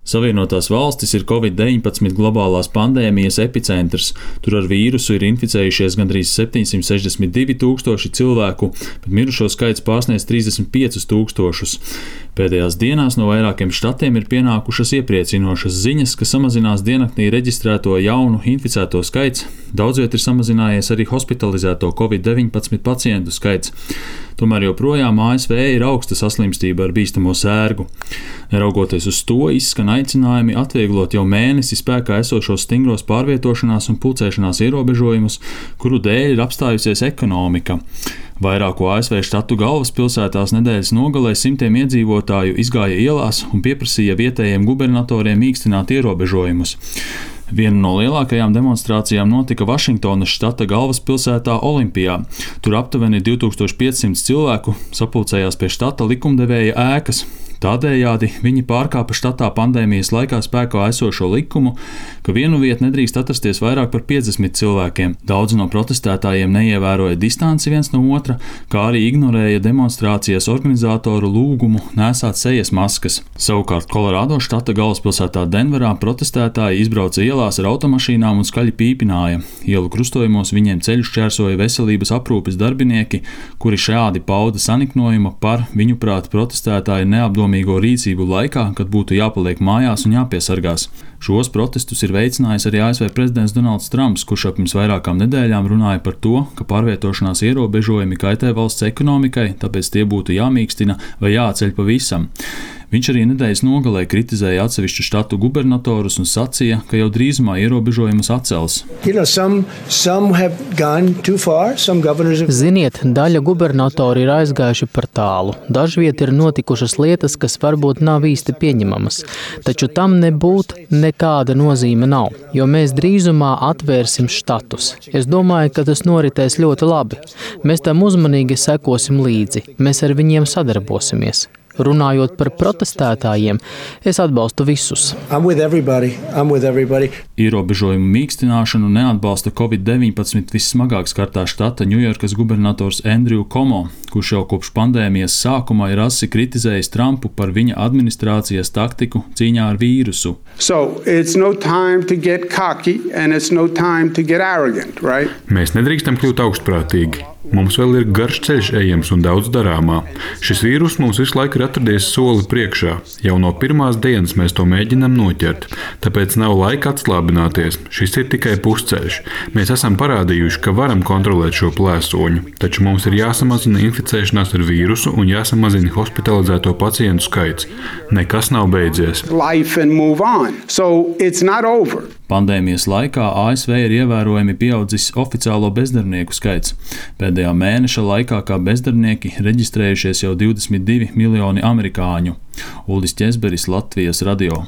Savienotās valstis ir Covid-19 globālās pandēmijas epicentrs. Tur ar vīrusu ir inficējušies gandrīz 762 tūkstoši cilvēku, bet mirušo skaits pārsniedz 35 tūkstošus. Pēdējās dienās no vairākiem štatiem ir pienākušas iepriecinošas ziņas, ka samazinās diennaktī reģistrēto jaunu inficēto skaits. Daudzviet ir samazinājies arī hospitalizēto Covid-19 pacientu skaits. Tomēr joprojām ASV ir augsta saslimstība ar bīstamo sērgu. Neraugoties uz to, izskan aicinājumi atvieglot jau mēnesi spēkā esošos stingros pārvietošanās un pulcēšanās ierobežojumus, kuru dēļ ir apstājusies ekonomika. Vairāku ASV štatu galvaspilsētās nedēļas nogalē simtiem iedzīvotāju izgāja ielās un pieprasīja vietējiem gubernatoriem mīkstināt ierobežojumus. Viena no lielākajām demonstrācijām notika Vašingtonas štata galvaspilsētā Olimpijā. Tur aptuveni 2500 cilvēku sapulcējās pie štata likumdevēja ēkas. Tādējādi viņi pārkāpa štatā pandēmijas laikā spēkā esošo likumu, ka vienu vietu nedrīkst atrasties vairāk par 50 cilvēkiem. Daudzi no protestētājiem neievēroja distanci viens no otra, kā arī ignorēja demonstrācijas organizatoru lūgumu nēsāt sejas maskas. Savukārt Kolorādo štata galvaspilsētā Denverā protestētāji izbrauca ielās ar automašīnām un skaļi pīpināja. Ielu krustojumos viņiem ceļu šķērsoja veselības aprūpes darbinieki, kuri šādi pauda saniknojumu par, viņuprāt, protestētāju neapdomīgu rīcību laikā, kad būtu jāpaliek mājās un jāpiesargās. Šos protestus ir veicinājis arī ASV prezidents Donalds Trumps, kurš pirms vairākām nedēļām runāja par to, ka pārvietošanās ierobežojumi kaitē valsts ekonomikai, tāpēc tie būtu jāmīkstina vai jāatceļ pavisam. Viņš arī nedēļas nogalē kritizēja atsevišķu štatu gubernatorus un sacīja, ka jau drīzumā ierobežojumus atcels. Ziniet, daļa gubernatori ir aizgājuši par tālu. Dažviet ir notikušas lietas, kas varbūt nav īsti pieņemamas, taču tam nekāda nozīme nav, jo mēs drīzumā atvērsim štatus. Es domāju, ka tas noritēs ļoti labi. Mēs tam uzmanīgi sekosim līdzi, mēs ar viņiem sadarbosimies. Runājot par protestētājiem, es atbalstu visus. Ierobežojumu mīkstināšanu neatbalsta Covid-19 vissmagāk skartā štata Ņujorkas gubernators Andrew Cuomo, kurš jau kopš pandēmijas sākuma ir asi kritizējis Trumpu par viņa administrācijas taktiku cīņā ar vīrusu. Mēs nedrīkstam kļūt augstprātīgi. Mums vēl ir garš ceļš ejams un daudz darāmā. Šis vīrus mums visu laiku ir atradies soli priekšā. Jau no pirmās dienas mēs to mēģinām noķert. Tāpēc nav laika atslābināties. Šis ir tikai pusceļš. Mēs esam parādījuši, ka varam kontrolēt šo plēsoņu, taču mums ir jāsamazina inficēšanās ar vīrusu un jāsamazina hospitalizēto pacientu skaits. Nekas nav beidzies. Pandēmijas laikā ASV ir ievērojami pieaudzis oficiālo bezdarbnieku skaits. Pēdējā mēneša laikā kā bezdarbnieki reģistrējušies jau 22 miljoni amerikāņu. Uldis Ķezberis, Latvijas radio.